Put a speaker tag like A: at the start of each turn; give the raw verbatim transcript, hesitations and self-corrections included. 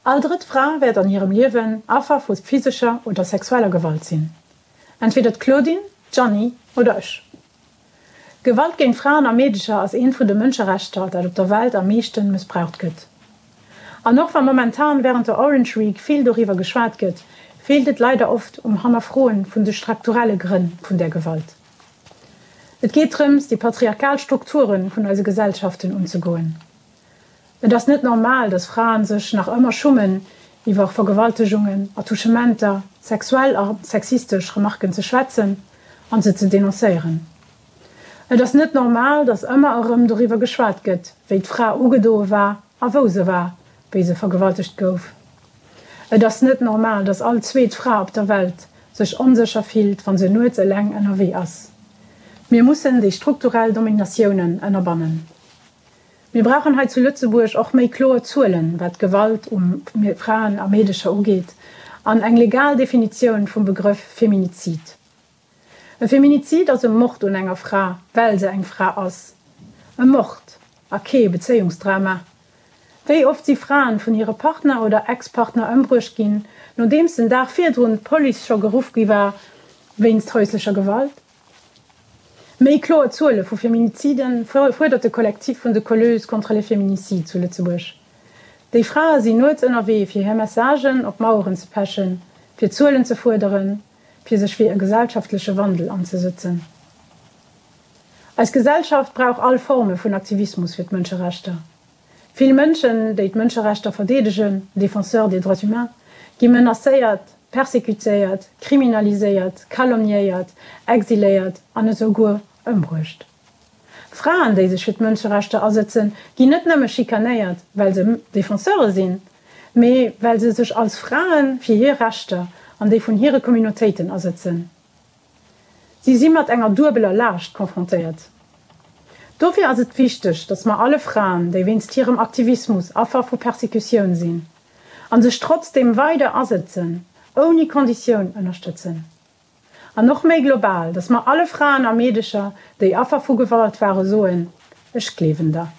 A: All drëtt Fra wäert an hirem Liewen Affer vu physescher oder sexueller Gewalt sinn. Entweder d'Claudine, d'Jeanny oder ech. Gewalt géint Fraen a Meedecher ass eent vun de Mënscherechter, dat op der Welt am meeschte mëssbraucht gëtt. An och wa momentan wärend der Orange Week vill doriwwer geschwat gëtt, feelt et leider oft um Hannerfroen vun de strukturelle Grënn vun der Gewalt. Et geet drëms, déi patriarchal Strukture vun eise Gesellschaften unzegoen. Et ass net normal, dass Fraen sech nach ëmmer schummen, iwwer Vergewaltegungen, Attouchementer, sexuell a sexistesch Remarken ze schwätzen an se ze denoncéieren. Et ass net normal, dass ëmmer erëm doriwwer geschwat gëtt, wéi d'Fra ugedoe war a wou se war, wéi se vergewaltegt gouf. Et ass net normal, dass all zweet Fra op der Welt sech onsécher fillt, wann se nuets eleng ënnerwee ass. Mir mussen déi strukturell Dominatiounen ënnerbannen. Mir brauchen hei zu Lëtzebuerg och méi kloer Zuelen, wat Gewalt un Fraen a Meedecher ugeet, an eng legal Definitioun vum Begrëff Feminizid. E Feminizid ass e Mord un enger Fra, well se eng Fra ass. E Mord a kee Bezéiungsdrama. Wéi oft si Fraen vun hire Partner oder Ex-Partner ëmbruecht ginn, nodeems den Dag virdrun d'Police scho geruff gi war wéinst haislecher Gewalt? Méi kloer Zuele vu Feminiziden fuerdert de Kollektiv vun de Colleuses contre les féminicides zu Lëtzebuerg. Déi Frae sinn nuets ënnerwee fir hir Messagen op Maueren ze pechen, fir Zuelen ze fuerderen, fir sech fir e gesellschaftleche Wandel anzesëtzen. Eis Gesellschaft brauch all Forme vun Aktivismus fir d'Mënscherechter. Vill Mënschen, déi d'Mënscherechter verdeedegen, Défenseurs des droits humains, gi menacéiert, persekutéiert, kriminaliséiert, calomniéiert, exiléiert an esouguer ëmbruecht. Fraen, déi sech fir d'Mënscherechter asëtzen, ginn net nëmme schikanéiert, well se Defenseure sinn, mee well se sech als Fraen fir hir Rechter an déi vun hire Communautéiten asëtzen. Si si mat enger duebeler Laascht konfrontéiert. Dofir ass et wichteg, dass mer alle Fraen, déi wéinst hirem Aktivismus Affer vu Persekutioun sinn, an sech trotzdeem weider asëtzen, ouni Konditioun ënnerstëtzen. An och méi global, dass mer alle Fraen a Meedecher, déi Affer vu Gewalt waren, soen, ech gleewen der.